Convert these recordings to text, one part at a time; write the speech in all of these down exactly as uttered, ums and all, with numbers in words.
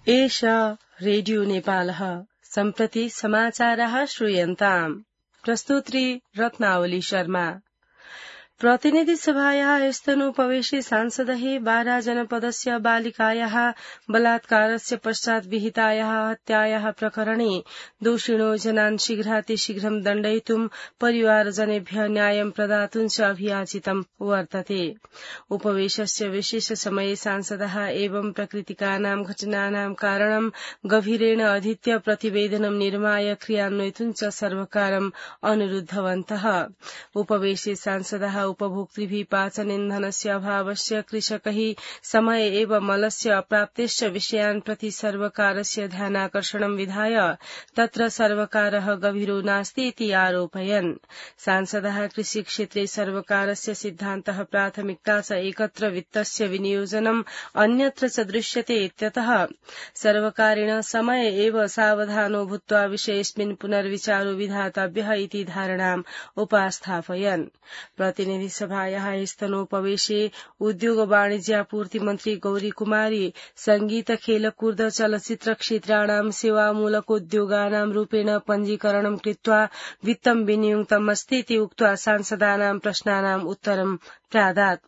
एष रेडियो नेपालः सम्प्रति समाचारः श्रूयन्ताम्। प्रस्तुत्री रत्नावली शर्मा। प्रतिनिधि सभायाः स्तनोपवेशे सांसदैः बारा जनपदस्य बालिकायाः बलात्कारस्य पश्चात् विहितायाः हत्यायाः प्रकरणे दोषिणो जनान् शीघ्रातिशीघ्रं दण्डयितुं परिवारजनेभ्यः न्यायं प्रदातुं च अभियाचितं वर्तते। उपवेशस्य विशेष समये सांसदः एवं प्रकृतिकानां घटनानां कारणं गभीरेण अधीत्य प्रतिवेदनं निर्माय क्रियान्वयितुं च सर्वकारम् अनुरुद्धवन्तः। उपवेशे सांसदः उपभोक्तृभिः पाचन इन्धनस्य अभावस्य कृषकैः समय एव मलस्य अप्राप्तेश्च विषयान् प्रति सर्वकारस्य ध्यानाकर्षणं विधाय तत्र सर्वकारः गभीरो नास्ति इति आरोपयन्। सांसदः कृषिक्षेत्रे सर्वकारस्य सिद्धान्तः प्राथमिकता च एकत्र वित्तस्य विनियोजनम् अन्यत्र च दृश्यते इत्यतः सर्वकारेण समय एव सावधानो भूत्वा विषयेऽस्मिन् पुनर्विचारो विधातव्यः इति धारणाम् उपास्थापयन्। प्रतिनिधि सभायाः स्तनोपवेशे उद्योग वाणिज्यापूर्ति मन्त्री गौरी कुमारी संगीत खेलकूद चलचित्र क्षेत्राणां सेवामूलकोद्योगानां रूपेण पञ्जीकरणं कृत्वा वित्तं विनियुक्तमस्ति इति उक्त्वा सांसदानां प्रश्नानाम् उत्तरं प्रादात्।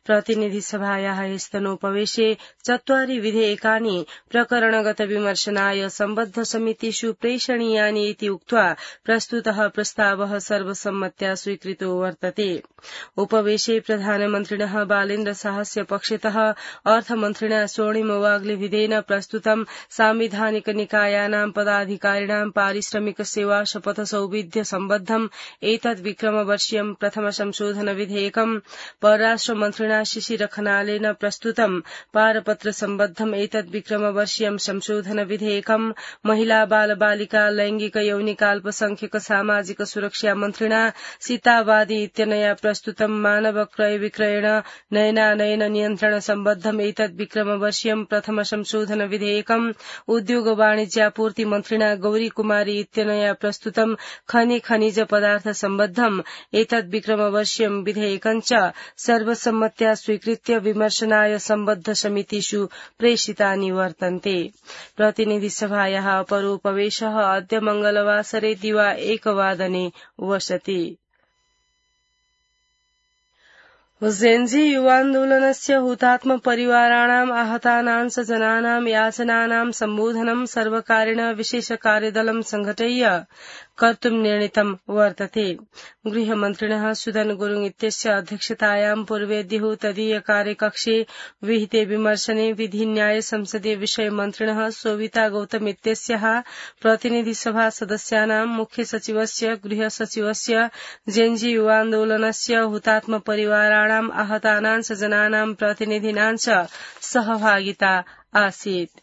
प्रतिनिधि सभायाः स्तनोपवेशे चत्वारि विधेयकानि प्रकरणगत विमर्शनाय सम्बद्ध समितिषु प्रेषणीयानि इति उक्त्वा प्रस्तुतः प्रस्तावः सर्वसम्मत्या स्वीकृतो वर्तते। उपवेशे प्रधानमन्त्रिणः बालेन्द्र शाहस्य पक्षतः अर्थमन्त्रिणा स्वर्णिम वाग्लेविदेन प्रस्तुतं साम्विधानिक निकायानां पदाधिकारिणां पारिश्रमिक सेवा शपथ सौविध्य सम्बद्धम् एतद् विक्रमवर्षीयं प्रथम संशोधन विधेयकम्, परराष्ट्र मन्त्रिणा शिशिर खनालेन प्रस्तुतं पारपत्र सम्बद्धम् एतद् विक्रमवर्षीयं संशोधन विधेयकम्, महिला बाल बालिका लैंगिक यौनिकाल्पसंख्यक सामाजिक सुरक्षा मन्त्रिणा सीतावादी इत्यनया प्रस्तुतं मानव क्रय विक्रयण नयनानयन नियन्त्रण सम्बद्धम् एतद् विक्रमवर्षीयं प्रथम संशोधन विधेयकम्, उद्योग वाणिज्यापूर्ति मन्त्रिणा गौरी कुमारी इत्यनया प्रस्तुतं खनि खनिज पदार्थ सम्बद्धम् एतद् विक्रमवर्षीयं विधेयकम् च सर्वसम्मत्या स्वीकृत्य विमर्शनाय सम्बद्ध समितिषु प्रेषितानि वर्तन्ते। प्रतिनिधि सभायाः अपरोपवेशः अद्य मंगलवासरे दिवा एकवादने वसति। जेन्जी युवान्दोलनस्य हुतात्म परिवाराणाम् आहतानां च जनानां याचनानां सम्बोधनं सर्वकारेण विशेष कार्यदलं संघटय्य कर्तुं निर्णीतं वर्तते। गृहमन्त्रिणः सुदन गुरुङ इत्यस्य अध्यक्षतायां पूर्वेद्युः तदीय कार्यकक्षे विहिते विमर्शने विधि न्याय संसदीय विषय मन्त्रिणः सोविता गौतम इत्यस्याः प्रतिनिधि सभा सदस्यानां मुख्य सचिवस्य गृह सचिवस्य जेन्जी युवान्दोलनस्य हुतात्म परिवाराणाम् आहतानां च जनानां प्रतिनिधीनां च सहभागिता आसीत्।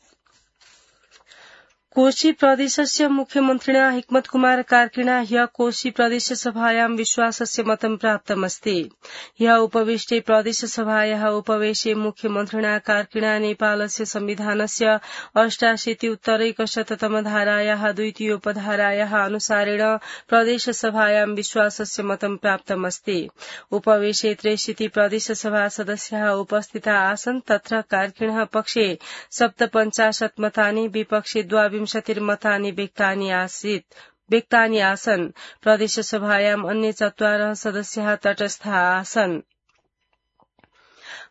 कोशी प्रदेशस्य मुख्यमन्त्रिणा हिक्मत कुमार कार्किणा ह्यः कोशी प्रदेश सभायां विश्वासस्य मतं प्राप्तमस्ति। ह्यः उपविष्टे प्रदेश सभायाः उपवेशे मुख्यमन्त्रिणा कार्किणा नेपालस्य संविधानस्य अष्टाशीति उत्तरैकशततम धारायाः द्वितीयोपधारायाः अनुसारेण प्रदेश सभायां विश्वासस्य मतं प्राप्तमस्ति। उपवेशे त्रिशीति प्रदेश सभा सदस्याः उपस्थिता आसन्। तत्र कार्किणः पक्षे सप्तपञ्चाशत् मतानि, विपक्षे द्वाविंशतिर्मतानि व्यक्तानि आसीत् व्यक्तानि आसन्। प्रदेश सभायाम् अन्ये चत्वारः सदस्याः तटस्थाः आसन्।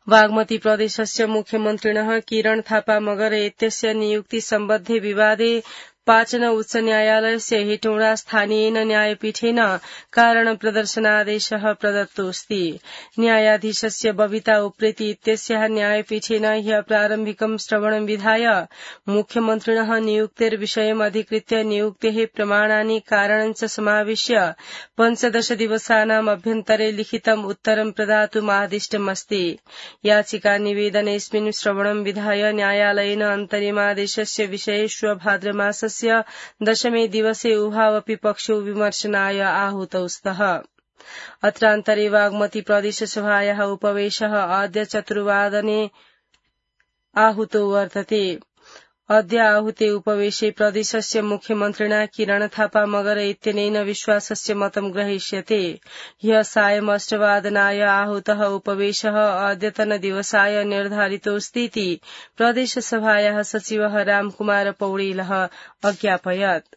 बागमती प्रदेशस्य मुख्यमन्त्रिणः किरण थापा मगर इत्यस्य नियुक्ति सम्बद्धे विवादे पाचन उच्च न्यायालयस्य हेटौडा स्थानीयेन न्यायपीठेन कारण प्रदर्शनादेशः प्रदत्तोऽस्ति। न्यायाधीशस्य बबिता उप्रेती इत्यस्याः न्यायपीठेन ह्यः प्रारम्भिकं श्रवणं विधाय मुख्यमन्त्रिणः नियुक्तेर्विषयम् अधिकृत्य नियुक्तेः प्रमाणानि कारणं च समाविश्य पञ्चदश दिवसानाम् अभ्यन्तरे लिखितम् उत्तरं प्रदातुम् आदिष्टमस्ति। याचिका निवेदनेऽस्मिन् श्रवणं विधाय न्यायालयेन अन्तरिमादेशस्य विषये श्व भाद्रमासस्य दशमे दिवसे उभावपि पक्षौ विमर्शनाय आहूतौ स्तः। अत्रान्तरे बागमती प्रदेश सभायाः उपवेशः अद्य चतुर्वादने आहूतो वर्तते। अद्य आहुते उपवेशे प्रदेशस्य मुख्यमन्त्रिणा किरण थापा मगर इत्यनेन विश्वासस्य मतं ग्रहीष्यते। ह्यः सायम् अष्टवादनाय आहूतः उपवेशः अद्यतन दिवसाय निर्धारितोऽस्तीति प्रदेशसभायाः सचिवः रामकुमार पौडेलः अज्ञापयत्।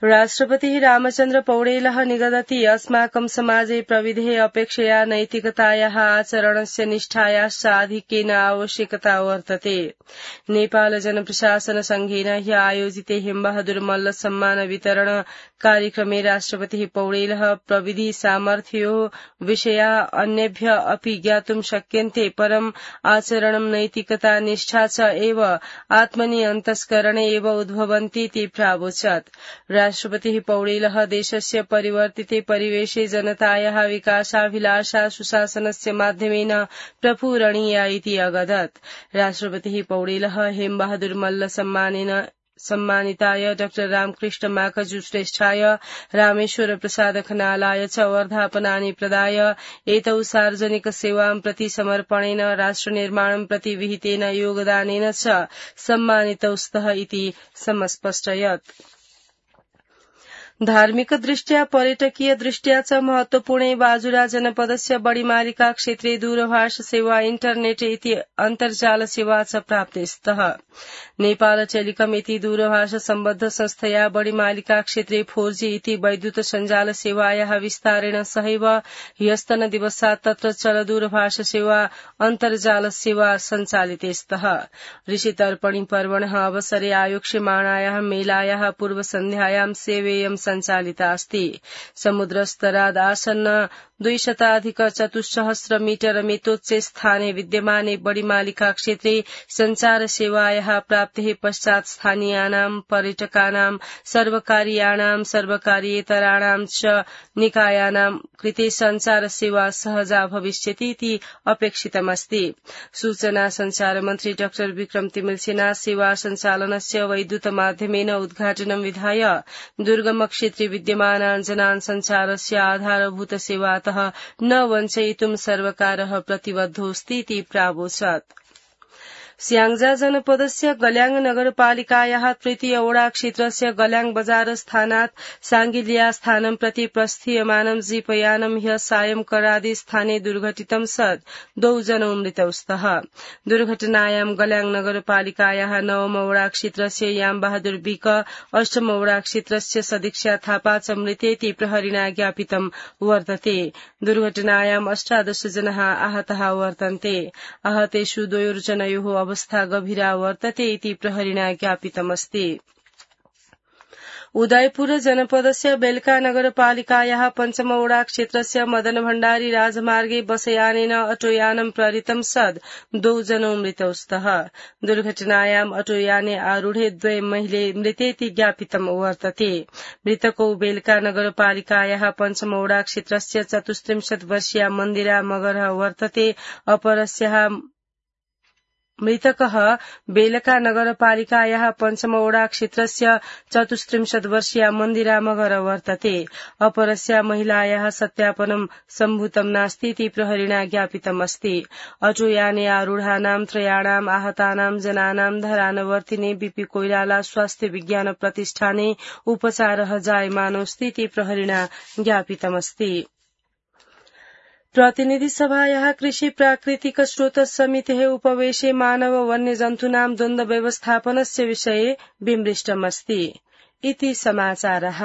राष्ट्रपतिः रामचन्द्र पौडेलः निगदति अस्माकं समाजे प्रविधे अपेक्षया नैतिकतायाः आचरणस्य निष्ठायाश्च आधिक्येन आवश्यकता वर्तते। नेपाल जनप्रशासन संघेन ह्यः आयोजिते हेमबहादुर मल्ल सम्मान वितरण कार्यक्रमे राष्ट्रपतिः पौडेलः प्रविधि सामर्थ्योः विषया अन्येभ्य अपि ज्ञातुं शक्यन्ते, परम् आचरणं नैतिकता निष्ठा च एव आत्मनि अन्तस्करणे एव उद्भवन्तीति प्रावोचत्। राष्ट्रपतिः पौडेलः देशस्य परिवर्तिते परिवेशे जनतायाः विकासाभिलाषा सुशासनस्य माध्यमेन प्रपूरणीया इति अगदत्। राष्ट्रपतिः पौडेलः हेमबहादुर मल्ल सम्मानेन सम्मानिताय डाक्टर रामकृष्ण माखजु श्रेष्ठाय रामेश्वर प्रसाद खनालाय च वर्धापनानि प्रदाय एतौ सार्वजनिक सेवां प्रति समर्पणेन राष्ट्रनिर्माणं प्रति विहितेन योगदानेन च सम्मानितौ स्तः इति समस्पष्टयत्। धार्मिक दृष्ट्या पर्यटकीय दृष्ट्या च महत्वपूर्णे बाजुरा जनपदस्य बडिमालिका क्षेत्रे दूरभाष सेवा इन्टरनेट इति अन्तर्जाल सेवा च प्राप्ते स्तः। नेपाल टेलिकम इति दूरभाष सम्बद्ध संस्थया बडिमालिका क्षेत्रे फोर जी इति वैद्युत सञ्जाल सेवायाः विस्तारेण सहैव ह्यस्तन दिवसात् तत्र चल दूरभाष सेवा अन्तर्जाल सेवा सञ्चालिते स्तः। ऋषितर्पणि पर्वणः अवसरे आयोक्ष्यमाणायाः मेलायाः पूर्वसन्ध्यायां सेवेयं सञ्चालिता अस्ति। समुद्रस्तराद् आसन्न द्विशताधिक चतुस्सहस्र मीटर मितोच्चे स्थाने विद्यमाने बडिमालिका क्षेत्रे सञ्चार सेवायाः प्राप्तेः पश्चात् स्थानीयानां पर्यटकानां सर्वकारीयाणां सर्वकारीयेतराणां च निकायानां कृते सञ्चार सेवा सहजा भविष्यति इति अपेक्षितमस्ति। सूचना सञ्चार मन्त्री डाक्टर विक्रम तिमिल सेना सेवा सञ्चालनस्य वैद्युत माध्यमेन उद्घाटनं विधाय दुर्गम क्षेत्रे विद्यमानान् जनान् सञ्चारस्य आधारभूत सेवातः न वञ्चयितुं सर्वकारः प्रतिबद्धोऽस्ति इति प्रावोचत्। स्याङ्जा जनपदस्य गल्याङ नगरपालिकायाः तृतीय वडा क्षेत्रस्य गल्याङ बजार स्थानात् साङ्गिलिया स्थानं प्रति प्रस्थीयमानं जीपयानं ह्यः सायं करादे स्थाने दुर्घटितं सत् द्वौ जनौ मृतौ स्तः। दुर्घटनायां गल्याङ नगरपालिकायाः नवम वडा क्षेत्रस्य यामबहादुर बिक, अष्टम वडा क्षेत्रस्य सदीक्षा थापा च मृतेति प्रहरिणा ज्ञापितं वर्तते। दुर्घटनायां अष्टादश जनाः आहताः वर्तन्ते। आहतेषु द्वयोर्जनयोः अवस्था गभीरा वर्तते इति प्रहरिणा ज्ञापितमस्ति। उदयपुर जनपदस्य बेलका नगरपालिकायाः पञ्चमवडा क्षेत्रस्य मदन भण्डारी राजमार्गे बसयानेन अटोयानं प्रहृतं सद् द्वौ जनौ मृतौ स्तः। दुर्घटनायाम् अटोयाने आरूढे द्वे महिले मृतेति ज्ञापितं वर्तते। मृतकौ बेलका नगरपालिकायाः पञ्चमवडा क्षेत्रस्य चतुस्त्रिंशत् वर्षीया मन्दिरा मगरः वर्तते। अपरस्याः मृतकः बेलका नगरपालिकायाः पञ्चमवडा क्षेत्रस्य चतुस्त्रिंशत् वर्षीया मन्दिरा मगर वर्तते। अपरस्या महिलायाः सत्यापनं सम्भूतं नास्ति इति प्रहरिणा ज्ञापितमस्ति। अटोयाने आरूढानां त्रयाणाम् आहतानां जनानां धरानवर्तिने बीपी कोइराला स्वास्थ्य विज्ञान प्रतिष्ठाने उपचारः जायमानोऽस्ति इति प्रहरिणा ज्ञापितमस्ति। प्रतिनिधि सभायाः कृषि प्राकृतिक स्रोत समितेः उपवेशे मानव वन्य जन्तूनां द्वन्द्व व्यवस्थापनस्य विषये विमृष्टमस्ति इति समाचारः।